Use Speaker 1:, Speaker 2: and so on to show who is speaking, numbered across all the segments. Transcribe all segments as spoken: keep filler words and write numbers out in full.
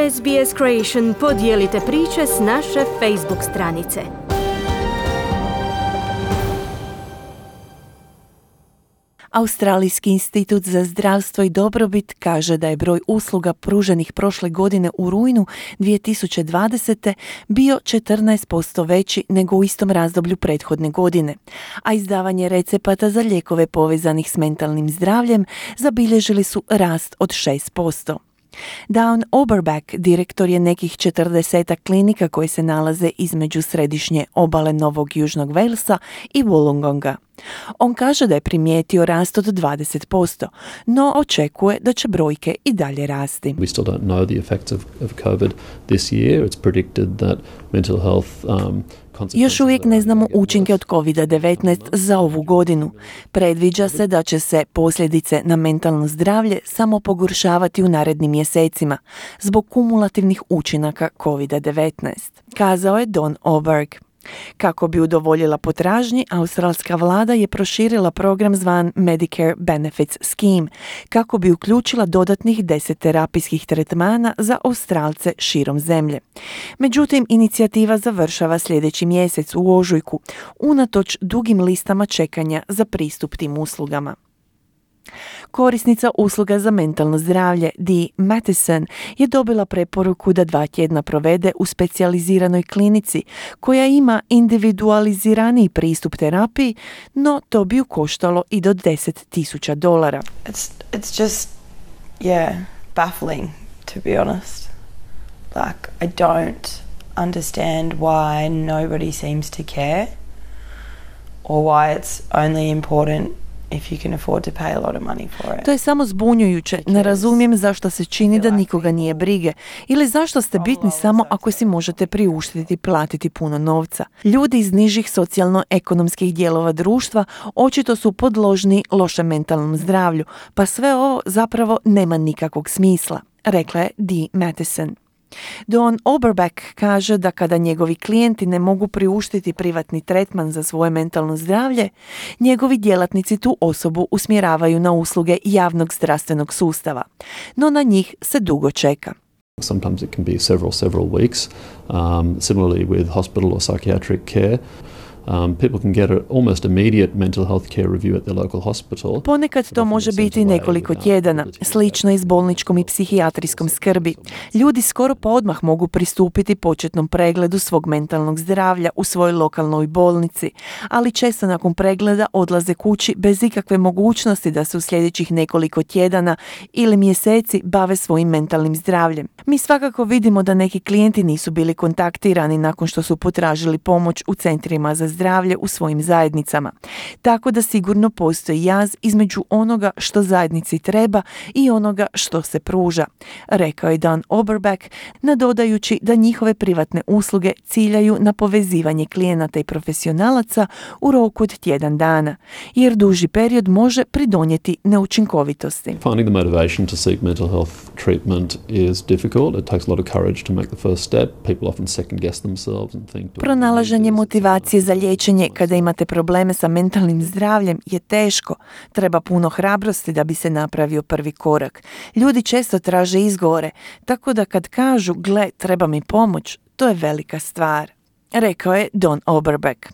Speaker 1: S B S Creation podijelite priče s naše Facebook stranice.
Speaker 2: Australijski institut za zdravstvo i dobrobit kaže da je broj usluga pruženih prošle godine u rujnu dvije tisuće dvadesete bio četrnaest posto veći nego u istom razdoblju prethodne godine, a izdavanje recepata za lijekove povezanih s mentalnim zdravljem zabilježili su rast od šest posto. Dawn Oberback, direktor je nekih četrdesetak klinika koje se nalaze između središnje obale Novog Južnog Walesa i Wollongonga. On kaže da je primijetio rast od dvadeset posto, no očekuje da će brojke i dalje rasti.
Speaker 3: We still don't know the effects of, of COVID this year. It's predicted that mental health um,
Speaker 2: Još uvijek ne znamo učinke od kovid devetnaest za ovu godinu. Predviđa se da će se posljedice na mentalno zdravlje samo pogoršavati u narednim mjesecima zbog kumulativnih učinaka kovid devetnaest, kazao je Don Oberg. Kako bi udovoljila potražnji, australska vlada je proširila program zvan Medicare Benefits Scheme, kako bi uključila dodatnih deset terapijskih tretmana za Australce širom zemlje. Međutim, inicijativa završava sljedeći mjesec u ožujku, unatoč dugim listama čekanja za pristup tim uslugama. Korisnica usluga za mentalno zdravlje Dee Matheson je dobila preporuku da dva tjedna provede u specijaliziranoj klinici koja ima individualiziraniji pristup terapiji, no to bi ju koštalo i do deset tisuća dolara.
Speaker 4: It's, it's just, yeah, baffling, to be honest. Like, I don't understand why nobody seems to care or why it's only important if you can afford to pay a lot of money for it.
Speaker 2: To je samo zbunjujuće. Ne razumijem zašto se čini da nikoga nije brige ili zašto ste bitni samo ako si možete priuštiti platiti puno novca. Ljudi iz nižih socijalno-ekonomskih dijelova društva očito su podložni lošem mentalnom zdravlju, pa sve ovo zapravo nema nikakvog smisla, rekla je Dee Matheson. Don Oberback kaže da kada njegovi klijenti ne mogu priuštiti privatni tretman za svoje mentalno zdravlje, njegovi djelatnici tu osobu usmjeravaju na usluge javnog zdravstvenog sustava, no na njih se dugo čeka.
Speaker 3: Sometimes it can be several, several weeks. Um, similarly with hospital or psychiatric care. Um, people can get an almost immediate mental health care review at their local hospital.
Speaker 2: Ponekad to može biti nekoliko tjedana, slično i s bolničkom i psihijatrijskom skrbi. Ljudi skoro pa odmah mogu pristupiti početnom pregledu svog mentalnog zdravlja u svojoj lokalnoj bolnici, ali često nakon pregleda odlaze kući bez ikakve mogućnosti da se u sljedećih nekoliko tjedana ili mjeseci bave svojim mentalnim zdravljem. Mi svakako vidimo da neki klijenti nisu bili kontaktirani nakon što su potražili pomoć u centrima za zdravlje u svojim zajednicama. Tako da sigurno postoji jaz između onoga što zajednici treba i onoga što se pruža, rekao je Dan Oberback, nadodajući da njihove privatne usluge ciljaju na povezivanje klijenata i profesionalaca u roku od tjedan dana, jer duži period može pridonijeti neučinkovitosti.
Speaker 3: Finding the motivation to seek mental health treatment is difficult. It takes a lot of courage to make the first step. People often second guess themselves and think.
Speaker 2: Pronalaženje motivacije za liječenje kada imate probleme sa mentalnim zdravljem je teško. Treba puno hrabrosti da bi se napravio prvi korak. Ljudi često traže izgovore, tako da kad kažu gle, treba mi pomoć, to je velika stvar, rekao je Don Oberback.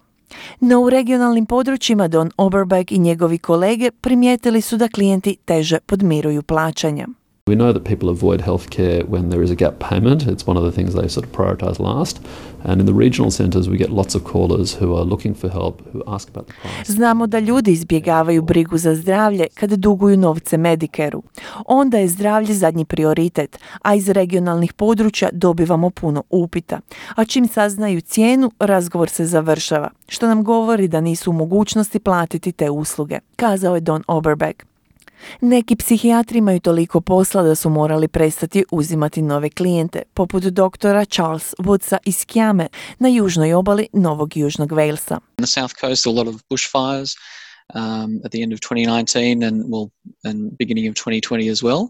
Speaker 2: No u regionalnim područjima Don Oberback i njegovi kolege primijetili su da klijenti teže podmiruju plaćanja.
Speaker 3: We know that people avoid healthcare when there is a gap payment. It's one of the things they sort of prioritize last. And in the regional centers we get lots of callers who are looking for help, who ask about the price.
Speaker 2: Znamo da ljudi izbjegavaju brigu za zdravlje kada duguju novce Medicareu. Onda je zdravlje zadnji prioritet, a iz regionalnih područja dobivamo puno upita. A čim saznaju cijenu, razgovor se završava, što nam govori da nisu u mogućnosti platiti te usluge, kazao je Don Oberback. Neki psihijatri imaju toliko posla da su morali prestati uzimati nove klijente, poput doktora Charles Woodsa iz Kiame na južnoj obali Novog Južnog Walesa.
Speaker 5: On the south coast, a lot of bushfires um, at the end of twenty nineteen and well, and beginning of twenty twenty as well.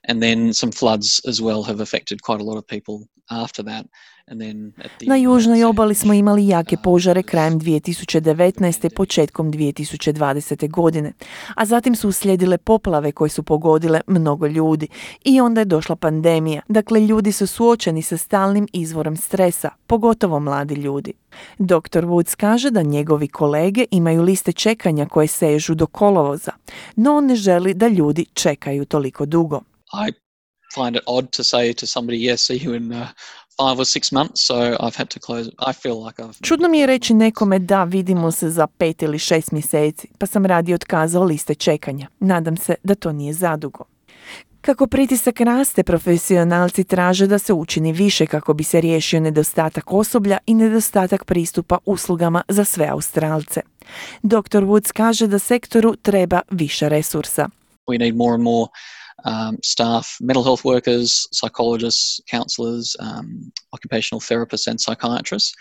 Speaker 5: And then some floods as well have affected quite a lot of people after that. And then at the
Speaker 2: Na južnoj obali smo imali jake
Speaker 5: uh,
Speaker 2: požare krajem dvije tisuće devetnaeste. početkom dvije tisuće dvadesete. godine, a zatim su uslijedile poplave koje su pogodile mnogo ljudi i onda je došla pandemija. Dakle, ljudi su suočeni sa stalnim izvorom stresa, pogotovo mladi ljudi. doktor Woods kaže da njegovi kolege imaju liste čekanja koje sežu do kolovoza, no on ne želi da ljudi čekaju toliko dugo.
Speaker 5: I find it odd to say to somebody, yes, see you in uh, five or six months, so I've had to close. I feel like I've...
Speaker 2: Čudno mi je reći nekome da vidimo se za pet ili šest mjeseci, pa sam radije otkazao liste čekanja. Nadam se da to nije zadugo. Kako pritisak raste, profesionalci traže da se učini više kako bi se riješio nedostatak osoblja i nedostatak pristupa uslugama za sve Australce. doktor Woods kaže da sektoru treba više resursa.
Speaker 5: We need more and more um, staff, mental health workers, psychologists, counsellors, um, occupational therapists and psychiatrists.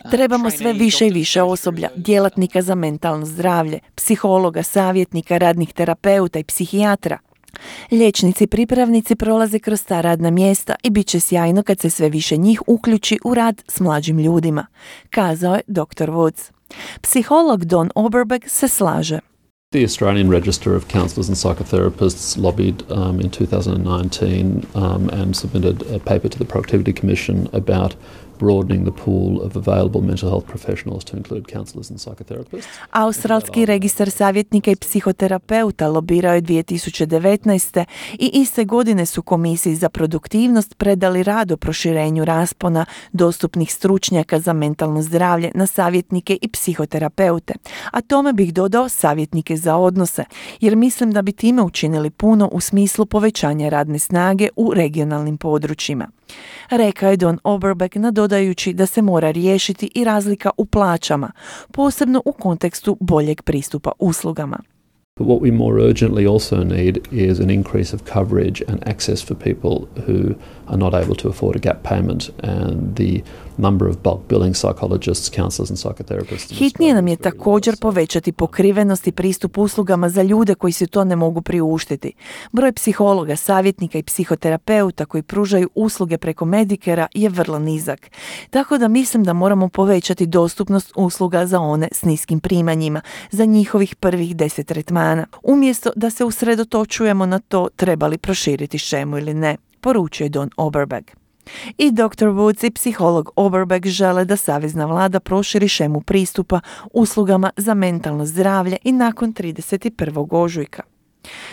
Speaker 5: Uh,
Speaker 2: Trebamo sve
Speaker 5: trainees,
Speaker 2: više i
Speaker 5: doctors,
Speaker 2: više osoblja, djelatnika za mentalno zdravlje, psihologa, savjetnika, radnih terapeuta i psihijatra. Liječnici pripravnici prolaze kroz ta radna mjesta i bit će sjajno kad se sve više njih uključi u rad s mlađim ljudima, kazao je doktor Woods. Psiholog Don Oberbeck se slaže.
Speaker 3: The Australian Register of Counsellors and Psychotherapists lobbied um, in two thousand nineteen um, and submitted a paper to the Productivity Commission about broadening the pool of available mental health professionals to include counsellors and psychotherapists.
Speaker 2: Australski registar savjetnika i psihoterapeuta lobirao je dvije tisuće devetnaeste. i iste godine su Komisiji za produktivnost predali rad o proširenju raspona dostupnih stručnjaka za mentalno zdravlje na savjetnike i psihoterapeute, a tome bih dodao savjetnike za odnose, jer mislim da bi time učinili puno u smislu povećanja radne snage u regionalnim područjima. Rekao je Don Oberbeck, nadodajući da se mora riješiti i razlika u plaćama, posebno u kontekstu boljeg pristupa uslugama.
Speaker 3: But what we more urgently also need is an increase of coverage and access for people who are not able to afford a gap payment, and the number of bulk billing psychologists, counsellors and psychotherapists.
Speaker 2: Hitnije nam je također povećati pokrivenost i pristup uslugama za ljude koji se to ne mogu priuštiti. Broj psihologa, savjetnika i psihoterapeuta koji pružaju usluge preko Medicarea je vrlo nizak. Tako da mislim da moramo povećati dostupnost usluga za one s niskim primanjima, za njihovih prvih deset tretmana, umjesto da se usredotočujemo na to treba li proširiti šemu ili ne, poručuje Don Oberbeck. I doktor Woods i psiholog Oberbeck žele da savezna vlada proširi šemu pristupa uslugama za mentalno zdravlje i nakon trideset prvog ožujka.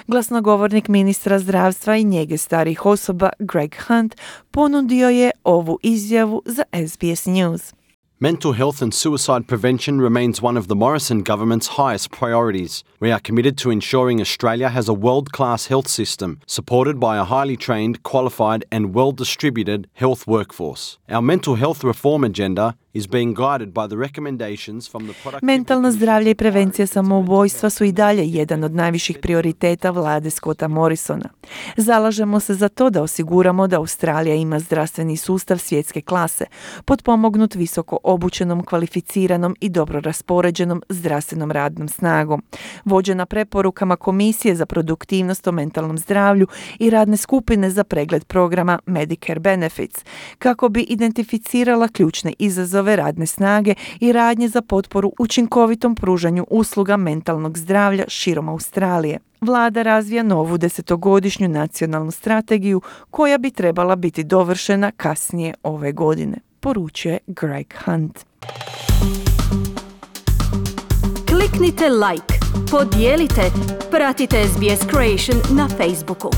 Speaker 2: Glasnogovornik ministra zdravstva i njege starih osoba Greg Hunt ponudio je ovu izjavu za S B S News.
Speaker 6: Mental health and suicide prevention remains one of the Morrison government's highest priorities. We are committed to ensuring Australia has a world-class health system supported by a highly trained, qualified and well-distributed health workforce. Our mental health reform agenda is being guided by the recommendations from the Productivity
Speaker 2: Mentalno zdravlje i prevencija samoubojstva su i dalje jedan od najviših prioriteta vlade Scotta Morrisona. Zalažemo se za to da osiguramo da Australija ima zdravstveni sustav svjetske klase, potpomognut visoko obučenom, kvalificiranom i dobro raspoređenom zdravstvenom radnom snagom, vođena preporukama Komisije za produktivnost o mentalnom zdravlju i radne skupine za pregled programa Medicare Benefits, kako bi identificirala ključne izazove radne snage i radnje za potporu učinkovitom pružanju usluga mentalnog zdravlja širom Australije. Vlada razvija novu desetogodišnju nacionalnu strategiju koja bi trebala biti dovršena kasnije ove godine, poručuje Greg Hunt.
Speaker 1: Kliknite like, podijelite, pratite S B S Creation na Facebooku.